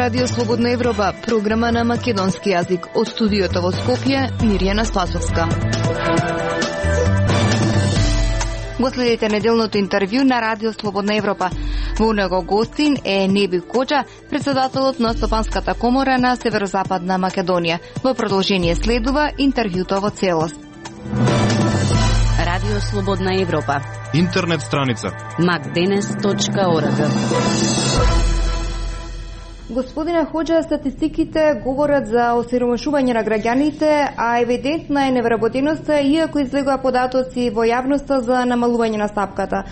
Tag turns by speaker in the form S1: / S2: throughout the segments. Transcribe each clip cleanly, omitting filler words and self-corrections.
S1: Радио Слободна Европа, програма на македонски јазик. Од студиото во Скопје, Мирјана Спасовска. Го следите неделното интервју на Радио Слободна Европа. Во него гостин е Неби Коџа, председателот на Стопанската комора на Северозападна Македонија. Во продолжение следува интервјуто во целост.
S2: Радио Слободна Европа.
S3: Интернет страница
S2: macdenes.org.
S1: Господине Хоџа, статистиките говорат за осиромашување на граѓаните, а евидентна е невработеноста, иако излегува податоци во јавноста за намалување на стапката.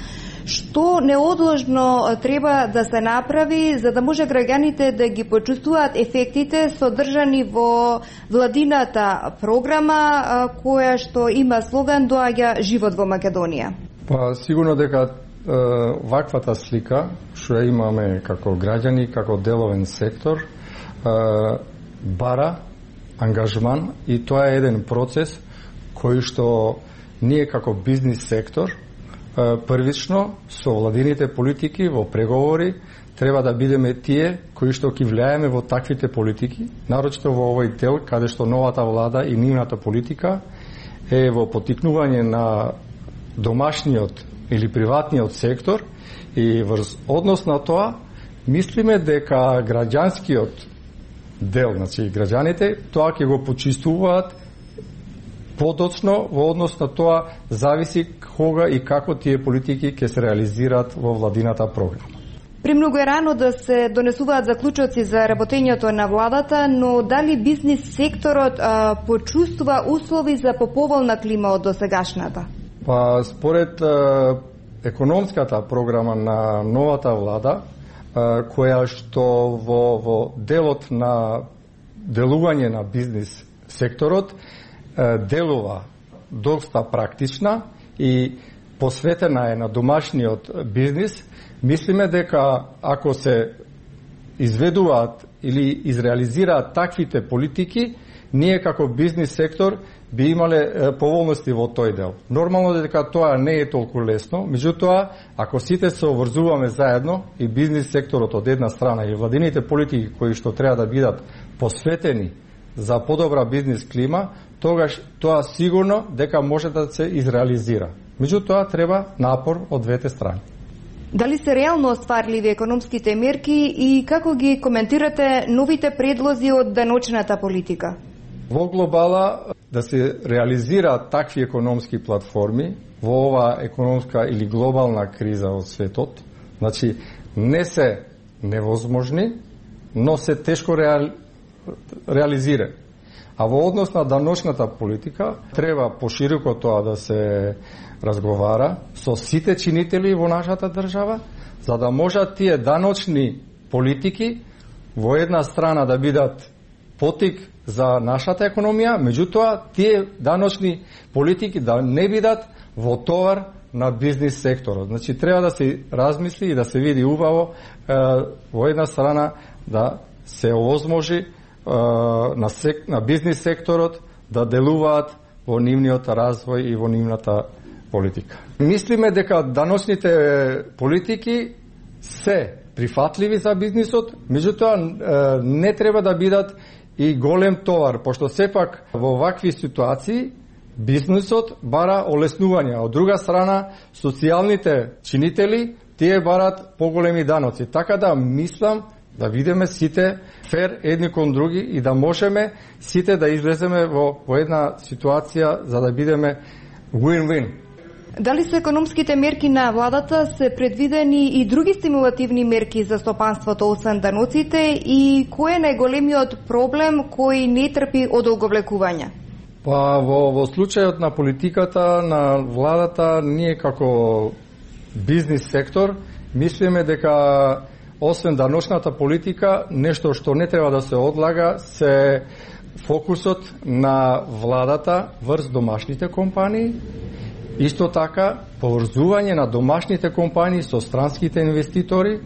S1: Што неодложно треба да се направи за да може граѓаните да ги почувствуваат ефектите содржани во владината програма која што има слоган "Доаѓа живот во Македонија"?
S4: Па сигурно дека ваквата слика што имаме како граѓани, како деловен сектор, бара ангажман и тоа е еден процес кој што ние како бизнис сектор првично со владините политики во преговори треба да бидеме тие кои што ќе влијаеме во таквите политики, нарочито во овој дел каде што новата влада и нивната политика е во поттикнување на домашниот или приватниот сектор и врз однос на тоа мислиме дека граѓанскиот дел, значи граѓаните, тоа ќе го почистуваат подоцно во однос на тоа зависи кога и како тие политики ќе се реализираат во владината програма.
S1: Премногу е рано да се донесуваат заклучоци за работењето на владата, но дали бизнис секторот почувствува услови за поповолна клима од досегашната?
S4: Па според економската програма на новата влада, која што во делот на делување на бизнис секторот делува доста практична и посветена е на домашниот бизнис, мислиме дека ако се изведуваат или изреализираат таквите политики, ние како бизнис сектор би имале поволности во тој дел. Нормално дека тоа не е толку лесно, меѓутоа, ако сите се обврзуваме заедно и бизнис секторот од една страна и владините политики кои што треба да бидат посветени за подобра бизнис клима, тогаш тоа сигурно дека може да се изреализира. Меѓутоа, треба напор од двете страни.
S1: Дали се реално остварливи економските мерки и како ги коментирате новите предлози од деночната политика?
S4: Во глобала да се реализираат такви економски платформи во оваа економска или глобална криза од светот, значи не се невозможни, но се тешко реализира. А во однос на даночната политика треба пошироко тоа да се разговара со сите чинители во нашата држава, за да можат тие даночни политики во една страна да бидат потик за нашата економија, меѓутоа тие даночни политики да не бидат во товар на бизнис секторот. Значи треба да се размисли и да се види убаво во една страна да се овозможи на бизнис секторот да делуваат во нивниот развој и во нивната политика. Мислиме дека даночните политики се прифатливи за бизнисот, меѓутоа не треба да бидат и голем товар, пошто сепак во вакви ситуации бизнисот бара олеснување, од друга страна социјалните чинители тие барат поголеми даноци. Така да мислам да видиме сите фер едни кон други и да можеме сите да излеземе во една ситуација за да бидеме win-win.
S1: Дали со економските мерки на владата се предвидени и други стимулативни мерки за стопанството освен даноците и кој е најголемиот проблем кој не трпи одолговлекување?
S4: Па во случајот на политиката на владата, ние како бизнис сектор мислиме дека освен даночната политика, нешто што не треба да се одлага се фокусот на владата врз домашните компании. Исто така, поврзување на домашните компании со странските инвеститори,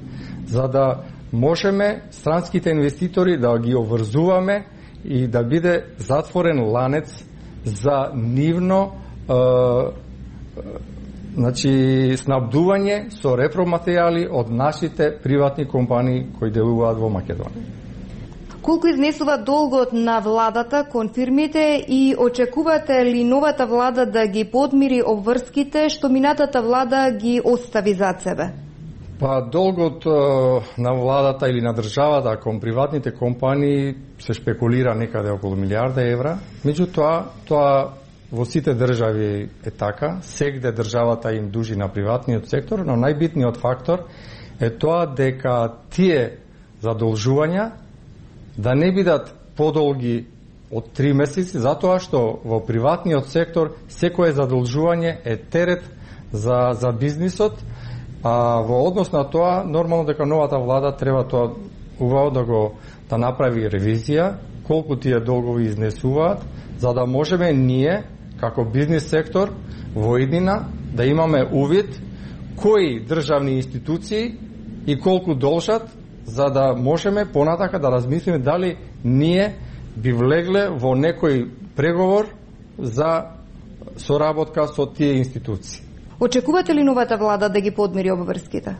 S4: за да можеме странските инвеститори да ги обврзуваме и да биде затворен ланец за нивно снабдување со репроматеријали од нашите приватни компании кои делуваат во Македонија.
S1: Колку изнесува долгот на владата кон фирмите и очекувате ли новата влада да ги подмири обврските што минатата влада ги остави зад себе?
S4: Па долгот на владата или на државата кон приватните компании се шпекулира некаде околу милиарда евра. Меѓутоа, тоа во сите држави е така, сегде државата им дужи на приватниот сектор, но најбитниот фактор е тоа дека тие задолжувања да не бидат подолги од 3 месеци, затоа што во приватниот сектор секое задолжување е терет за бизнисот, а во однос на тоа нормално дека новата влада треба тоа убаво да направи ревизија колку тие долгови изнесуваат, за да можеме ние како бизнис сектор во иднина да имаме увид кои државни институции и колку должат, за да можеме понатака да размислиме дали ние би влегле во некој преговор за соработка со тие институции.
S1: Очекувате ли новата влада да ги подмири обврските?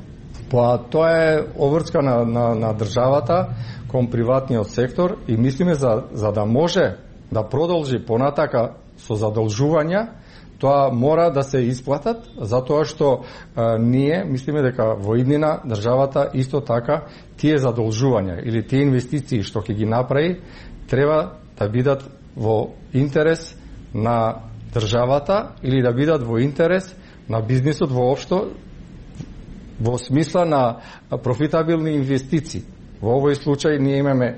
S4: Па тоа е обврска на државата кон приватниот сектор и мислиме за да може да продолжи понатака со задолжувања, тоа мора да се исплатат, затоа што ние мислиме дека во иднина државата исто така тие задолжувања или тие инвестиции што ќе ги направи треба да бидат во интерес на државата или да бидат во интерес на бизнисот воопшто во смисла на профитабилни инвестиции. Во овој случај ние имаме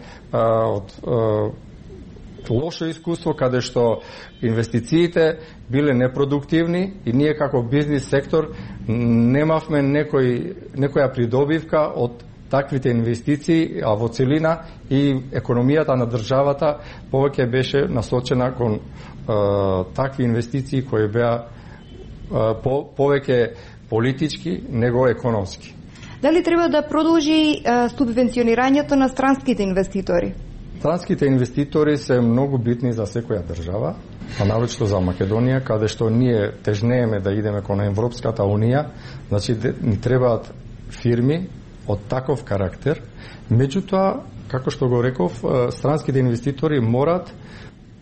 S4: лошо искуство каде што инвестициите биле непродуктивни и ние како бизнис сектор немавме некоја придобивка од таквите инвестиции, а во целина и економијата на државата повеќе беше насочена кон такви инвестиции кои беа повеќе политички него економски.
S1: Дали треба да продолжи субвенционирањето на странските инвеститори?
S4: Странските инвеститори се многу битни за секоја држава, а навечто за Македонија, каде што ние тежнееме да идеме кон Европската унија, значи ни требаат фирми од таков карактер. Меѓутоа, како што го реков, странските инвеститори морат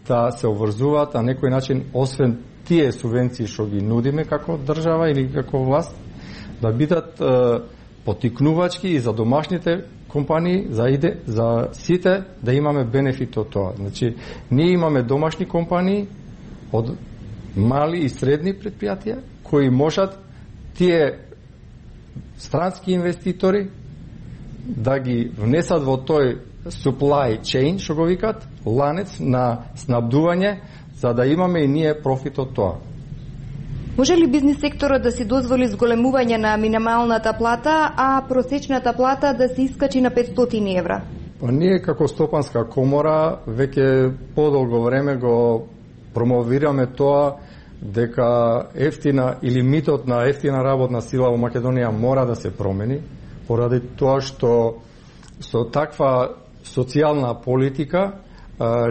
S4: да се обврзуваат на некој начин, освен тие субвенции што ги нудиме како држава или како власт, да бидат потикнувачки и за домашните компании, за сите да имаме бенефит од тоа. Значи, ние имаме домашни компании од мали и средни предпријатија кои можат тие странски инвеститори да ги внесат во тој supply chain, што го викат, ланец на снабдување, за да имаме и ние профит од тоа.
S1: Може ли бизнис секторот да си дозволи зголемување на минималната плата, а просечната плата да се искачи на 500 евра?
S4: Ние како Стопанска комора веќе подолго време го промовираме тоа дека ефтина или митот на ефтина работна сила во Македонија мора да се промени, поради тоа што со таква социјална политика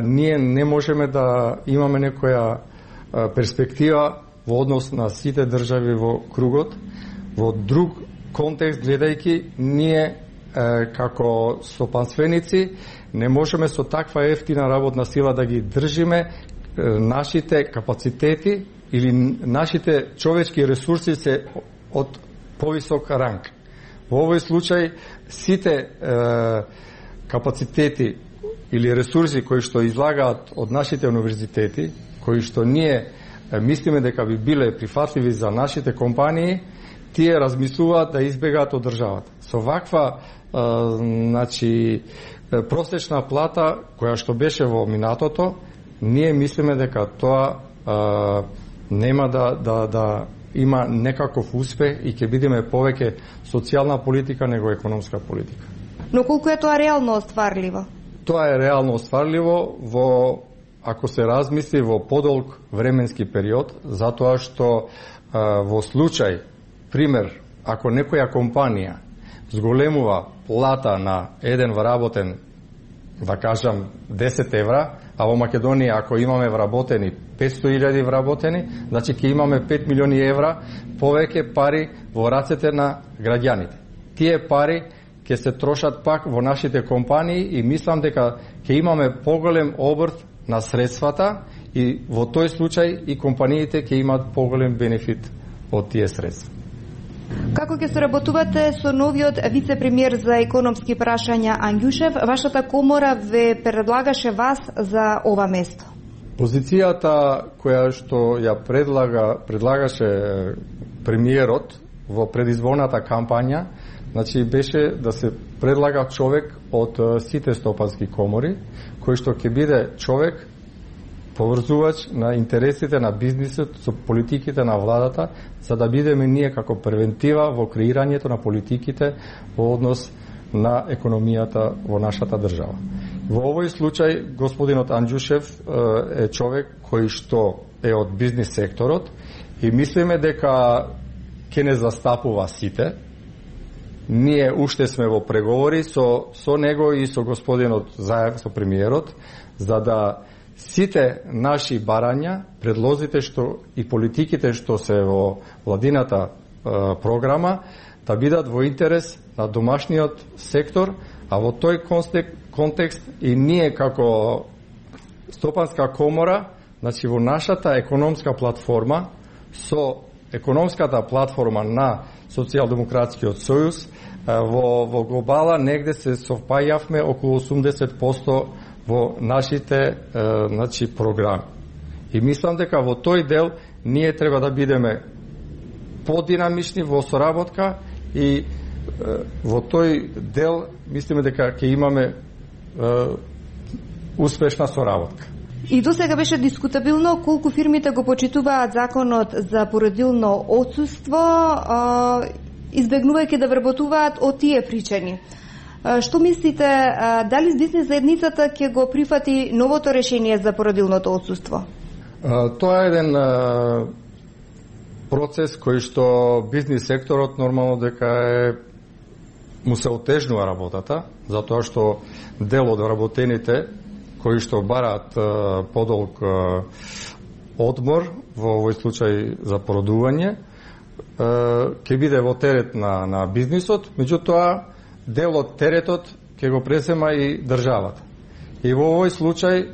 S4: ние не можеме да имаме некоја перспектива во однос на сите држави во кругот. Во друг контекст гледајќи, ние како стопанственици не можеме со таква ефтина работна сила да ги држиме. Нашите капацитети или нашите човечки ресурси се од повисок ранг. Во овој случај сите капацитети или ресурси кои што излагаат од нашите универзитети, кои што ние мислиме дека би биле прифатливи за нашите компании, тие размислуваат да избегаат од државата. Со ваква значи просечна плата која што беше во минатото, ние мислиме дека тоа нема да има некаков успех и ќе бидеме повеќе социјална политика него економска политика.
S1: Но колку е тоа реално остварливо?
S4: Тоа е реално остварливо ако се размисли во подолг временски период, затоа што во случај, пример, ако некоја компанија зголемува плата на еден вработен, да кажам 10 евра, а во Македонија ако имаме вработени 500.000 вработени, значи ќе имаме 5 милиони евра повеќе пари во рацете на граѓаните. Тие пари ќе се трошат пак во нашите компании и мислам дека ќе имаме поголем обрт на средствата и во тој случај и компаниите ќе имаат поголем бенефит од тие средства.
S1: Како ќе соработувате со новиот вице-премиер за економски прашања Анѓушев? Вашата комора ве предлагаше вас за ова место.
S4: Позицијата која што ја предлагаше премиерот во предизборната кампања, значи беше да се предлага човек од сите стопански комори, кој што ќе биде човек поврзувач на интересите на бизнисот со политиките на владата, за да бидеме ние како превентива во креирањето на политиките во однос на економијата во нашата држава. Во овој случај господинот Анѓушев е човек кој што е од бизнис секторот и мислиме дека ќе не застапува сите. Ние уште сме во преговори со него и со господинот заедно со премиерот, за да сите наши барања, предлозите што и политиките што се во владината програма, да бидат во интерес на домашниот сектор, а во тој контекст и ние како стопанска комора, значи во нашата економска платформа, со економската платформа на Социјалдемократскиот сојуз, во глобала негде се совпаѓавме околу 80% во нашите значи програми. И мислам дека во тој дел ние треба да бидеме подинамични во соработка и во тој дел мислиме дека ќе имаме успешна соработка.
S1: И до сега беше дискутабилно колку фирмите го почитуваат законот за породилно отсуство, избегнувајќи да вработуваат од тие причини. Што мислите, дали бизнис заедницата ќе го прифати новото решение за породилното отсуство?
S4: Тоа е еден процес кој што бизнис секторот нормално дека му се отежнува работата, затоа што дел од вработените кои што бараат подолг одмор, во овој случај за породување, ќе биде во терет на бизнисот, меѓутоа дел од теретот ќе го презема и државата. И во овој случај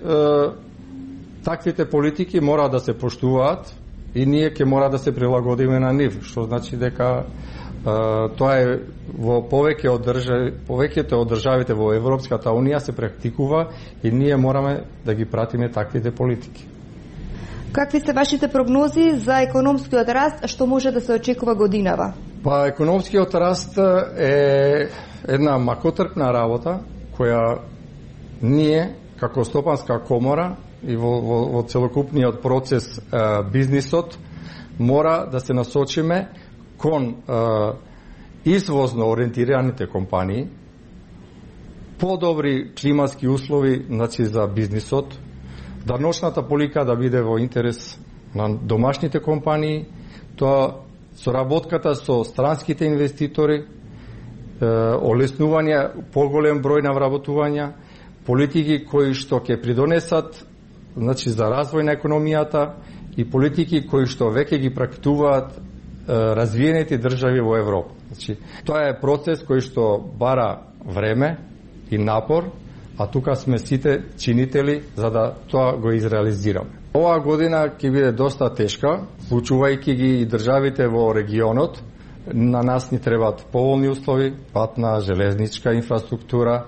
S4: таквите политики мора да се поштуваат и ние ќе мора да се прилагодиме на нив, што значи дека тоа е во повеќето од државите во Европската Унија се практикува и ние мораме да ги пратиме таквите политики.
S1: Какви се вашите прогнози за економскиот раст, што може да се очекува годинава?
S4: Па економскиот раст е една макотрпна работа која ние како стопанска комора и во целокупниот процес бизнисот мора да се насочиме кон извозно ориентираните компании, подобри климатски услови значи за бизнисот, да ношната полика да биде во интерес на домашните компании, тоа соработката со странските инвеститори, олеснување поголем број на вработувања, политики кои што ќе придонесат значи за развој на економијата и политики кои што веќе ги практикуваат развиените држави во Европа. Значи, тоа е процес кој што бара време и напор, а тука сме сите чинители за да тоа го изреализираме. Оваа година ќе биде доста тешка, случувајќи ги и државите во регионот. На нас ни требаат поволни услови, патна, железничка инфраструктура,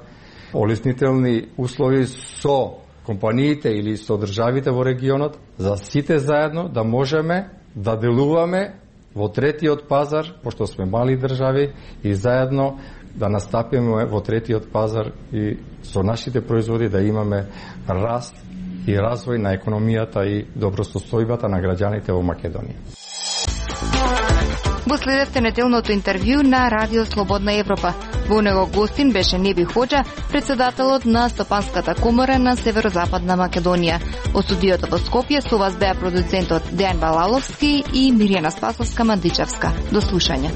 S4: олеснителни услови со компаниите или со државите во регионот, за сите заедно да можеме да делуваме во третиот пазар, пошто сме мали држави, и заедно да настапиме во третиот пазар и со нашите производи да имаме раст и развој на економијата и добросостојбата на граѓаните во Македонија.
S1: Го следевте неделното интервју на Радио Слободна Европа. Во него гостин беше Неби Хоџа, председателот на Стопанската комора на Северозападна Македонија. Од студиото во Скопје со вас беа продуцентот Дејан Балаловски и Мирјана Спасовска-Мандичевска. До слушање.